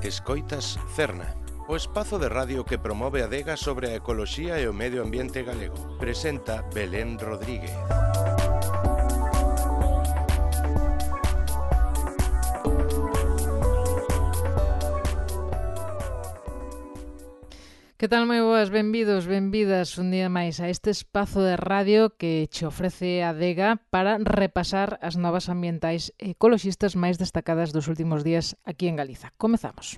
Escoitas Cerna, o espazo de radio que promove a adega sobre a ecoloxía e o medio ambiente galego. Presenta Belén Rodríguez. Que tal, moi boas, benvidos, benvidas un día máis a este espazo de radio que che ofrece a adega para repasar as novas ambientais e ecoloxistas máis destacadas dos últimos días aquí en Galiza. Comezamos.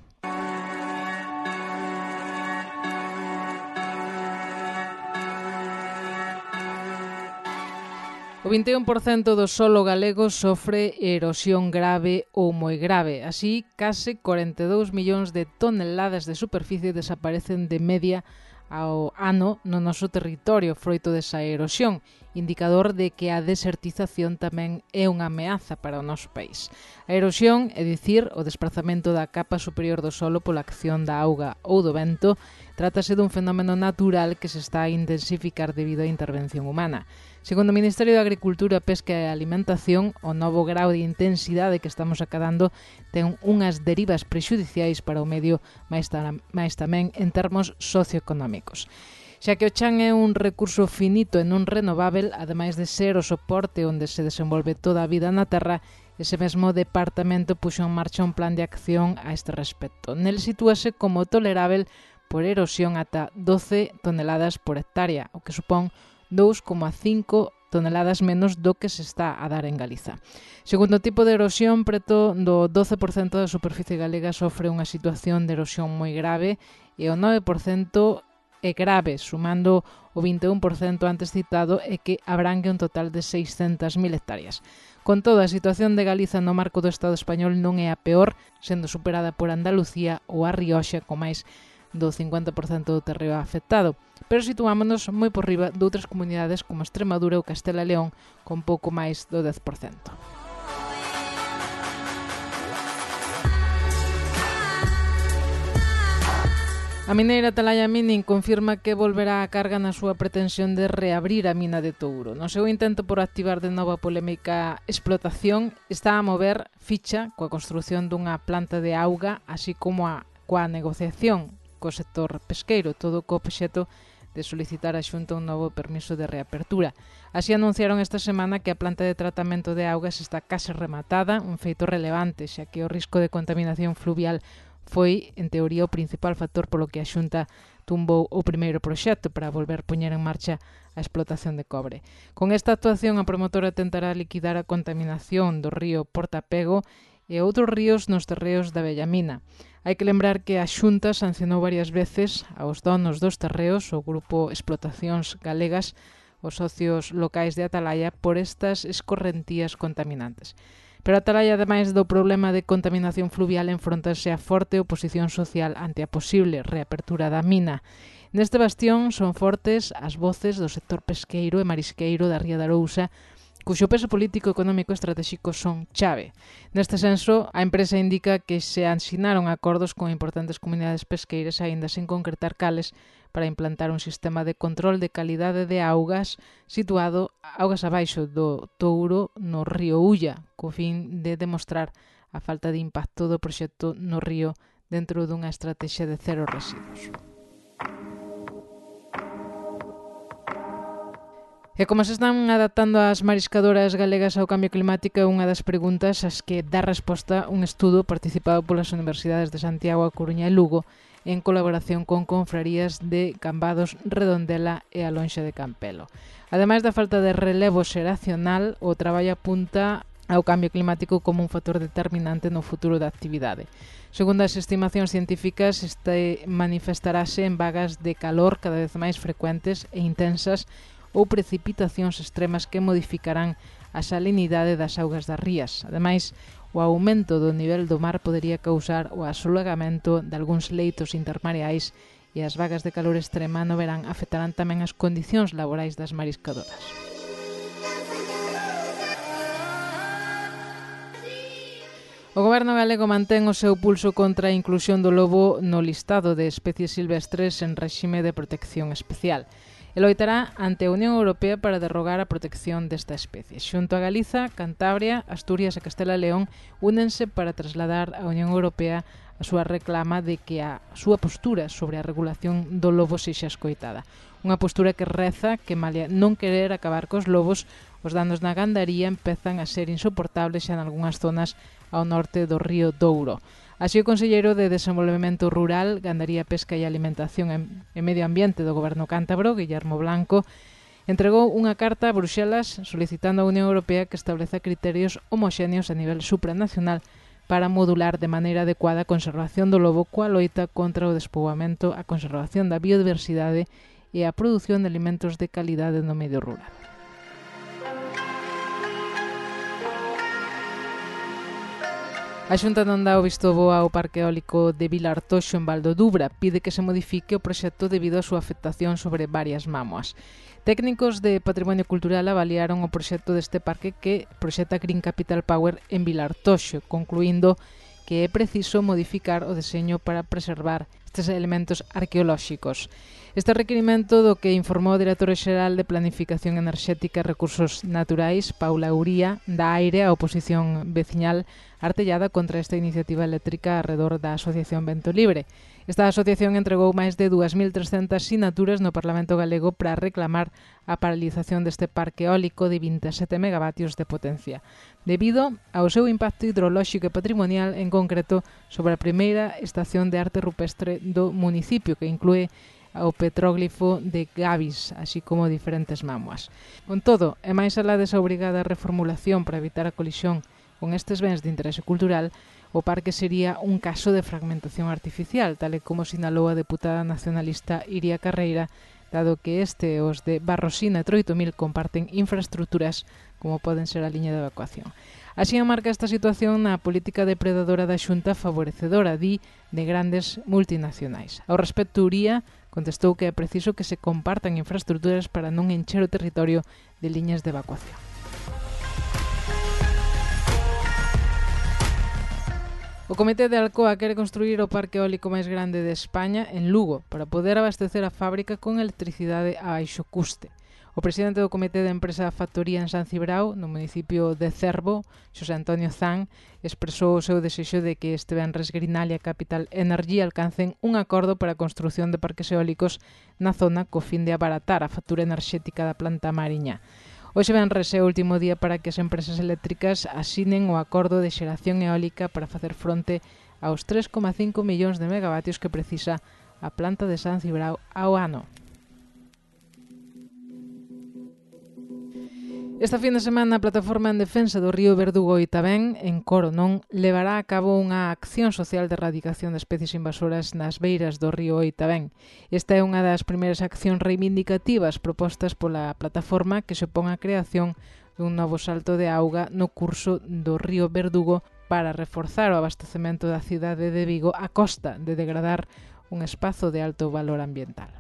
O 21% do solo galego sofre erosión grave ou moi grave. Así, case 42 millóns de toneladas de superficie desaparecen de media ao ano no noso territorio froito desa erosión, indicador de que a desertización tamén é unha ameaza para o noso país. A erosión, é dicir, o desprazamento da capa superior do solo pola acción da auga ou do vento, trátase dun fenómeno natural que se está a intensificar debido á intervención humana. Segundo o Ministerio de Agricultura, Pesca e Alimentación, o novo grau de intensidade que estamos acadando ten unhas derivas prexudiciais para o medio, máis tamén en termos socioeconómicos. Xa que o chan é un recurso finito e non renovável, ademais de ser o soporte onde se desenvolve toda a vida na Terra, ese mesmo departamento puxo en marcha un plan de acción a este respecto. Nel sitúase como tolerável por erosión ata 12 toneladas por hectárea, o que supón 2,5 toneladas menos do que se está a dar en Galiza. Segundo tipo de erosión, preto do 12% da superficie galega sofre unha situación de erosión moi grave e o 9% é grave, sumando o 21% antes citado e que abrangue un total de 600.000 hectáreas. Con todo, a situación de Galiza no marco do Estado español non é a peor, sendo superada por Andalucía ou a Rioxa, con máis do 50% do terreo afectado, pero situámonos moi por riba de outras comunidades como Extremadura ou Castela e León con pouco máis do 10%. A mineira Atalaya Mining confirma que volverá a carga na súa pretensión de reabrir a mina de Touro. No seu intento por activar de novo a polémica explotación, está a mover ficha coa construción dunha planta de auga, así como coa negociación co sector pesqueiro, todo co obxecto de solicitar a Xunta un novo permiso de reapertura. Así anunciaron esta semana que a planta de tratamento de augas está case rematada, un feito relevante, xa que o risco de contaminación fluvial foi, en teoría, o principal factor polo que a Xunta tumbou o primeiro proxecto para volver poñer en marcha a explotación de cobre. Con esta actuación, a promotora tentará liquidar a contaminación do río Portapego e outros ríos nos terreos da Bellamina. Hai que lembrar que a Xunta sancionou varias veces aos donos dos terreos, o Grupo Explotacións Galegas, os socios locais de Atalaya, por estas escorrentías contaminantes. Pero Atalaya, ademais do problema de contaminación fluvial, enfrontase a forte oposición social ante a posible reapertura da mina. Neste bastión son fortes as voces do sector pesqueiro e marisqueiro da Ría de Arousa, cuxo peso político, económico e estratégico son chave. Neste senso, a empresa indica que se asinaron acordos con importantes comunidades pesqueiras, aínda sen concretar cales, para implantar un sistema de control de calidade de augas situado augas abaixo do Touro no río Ulla, co fin de demostrar a falta de impacto do proxecto no río dentro dunha estrategia de cero residuos. E como se están adaptando as mariscadoras galegas ao cambio climático é unha das preguntas ás que dá resposta un estudo participado polas universidades de Santiago, A Coruña e Lugo en colaboración con confrarías de Cambados, Redondela e a Lonxa de Campelo. Ademais da falta de relevo xeracional, o traballo apunta ao cambio climático como un factor determinante no futuro da actividade. Segundo as estimacións científicas, este manifestarase en vagas de calor cada vez máis frecuentes e intensas ou precipitacións extremas que modificarán a salinidade das augas das rías. Ademais, o aumento do nivel do mar podería causar o asolagamento de algúns leitos intermareais e as vagas de calor extrema no verán afectarán tamén as condicións laborais das mariscadoras. O Goberno galego mantén o seu pulso contra a inclusión do lobo no listado de especies silvestres en réxime de protección especial. e loitará ante a Unión Europea para derrogar a protección desta especie. Xunto a Galiza, Cantabria, Asturias e Castela e León únense para trasladar á Unión Europea a súa reclama de que a súa postura sobre a regulación do lobo sexa escoitada. Unha postura que reza que, malia non querer acabar cos lobos, os danos na gandaría empezan a ser insoportables xa en algunhas zonas ao norte do río Douro. Así, o conselleiro de Desenvolvemento Rural, Gandaría, Pesca e Alimentación e Medio Ambiente do Goberno cántabro, Guillermo Blanco, entregou unha carta a Bruxelas solicitando á Unión Europea que estableza criterios homoxéneos a nivel supranacional para modular de maneira adecuada a conservación do lobo coa loita contra o despoboamento, a conservación da biodiversidade e a produción de alimentos de calidade no medio rural. A Xunta non dá o visto bo ao parque eólico de Vilartoxo en Val do Dubra. Pide que se modifique o proxecto debido á súa afectación sobre varias mámoas. Técnicos de Patrimonio Cultural avaliaron o proxecto deste parque que proxecta Green Capital Power en Vilartoxo, concluindo que é preciso modificar o deseño para preservar estes elementos arqueolóxicos. Este requirimento do que informou o director xeral de Planificación Enerxética e Recursos Naturais, Paula Uría, dá aire á oposición veciñal artellada contra esta iniciativa eléctrica arredor da Asociación Vento Libre. Esta asociación entregou máis de 2.300 sinaturas no Parlamento galego para reclamar a paralización deste parque eólico de 27 megavatios de potencia, debido ao seu impacto hidrolóxico e patrimonial, en concreto sobre a primeira estación de arte rupestre do municipio, que inclúe ao petróglifo de Gavis, así como diferentes mámoas. Con todo, e máis alá desa obrigada reformulación para evitar a colisión con estes bens de interese cultural, o parque sería un caso de fragmentación artificial, tal e como sinalou a deputada nacionalista Iria Carreira, dado que este e os de Barrosina e Troitomil comparten infraestructuras como poden ser a liña de evacuación. Así enmarca esta situación na política depredadora da Xunta favorecedora, de grandes multinacionais. Ao respecto, Uría contestou que é preciso que se compartan infraestructuras para non encher o territorio de liñas de evacuación. O Comité de Alcoa quere construir o parque eólico máis grande de España en Lugo para poder abastecer a fábrica con electricidade a baixo custe. O presidente do Comité de Empresa Factoría en San Cibrao, no municipio de Cervo, Xosé Antonio Zan, expresou o seu desexo de que este venres Greenalia e Capital Energy alcancen un acordo para a construción de parques eólicos na zona co fin de abaratar a factura enerxética da planta mariña. Hoxe venres é o último día para que as empresas eléctricas asinen o acordo de xeración eólica para facer fronte aos 3,5 millóns de megavatios que precisa a planta de San Cibrao ao ano. Esta fin de semana a Plataforma en Defensa do Río Verdugo e Oitavén, en Coronón, levará a cabo unha acción social de erradicación de especies invasoras nas beiras do río Oitavén. Esta é unha das primeiras accións reivindicativas propostas pola plataforma que se opón á creación dun novo salto de auga no curso do río Verdugo para reforzar o abastecemento da cidade de Vigo a costa de degradar un espazo de alto valor ambiental.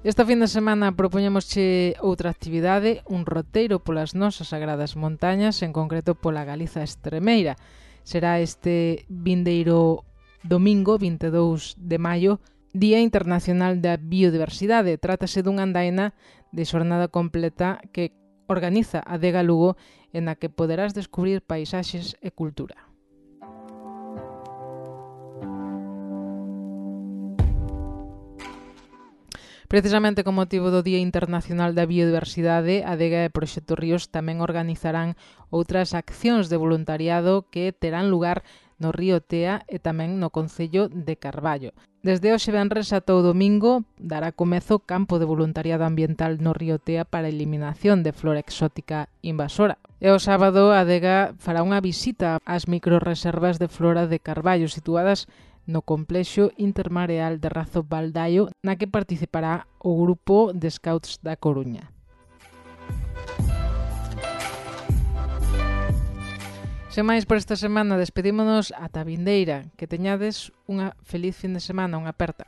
Esta fin de semana propoñémosche outra actividade, un roteiro polas nosas sagradas montañas, en concreto pola Galiza Estremeira. Será este vindeiro domingo, 22 de maio, Día Internacional da Biodiversidade. Trátase dunha andaina de xornada completa que organiza a Adega Lugo, en a que poderás descubrir paisaxes e cultura. Precisamente con motivo do Día Internacional da Biodiversidade, a Adega e Proxecto Ríos tamén organizarán outras accións de voluntariado que terán lugar no río Tea e tamén no concello de Carballo. Desde hoxe venres ata o domingo dará comezo campo de voluntariado ambiental no río Tea para a eliminación de flora exótica invasora. E o sábado a Adega fará unha visita ás microrreservas de flora de Carballo situadas no complexo intermareal de Razo Baldaio, na que participará o grupo de Scouts da Coruña. Sen máis por esta semana, despedímonos ata vindeira. Que teñades unha feliz fin de semana, unha aperta.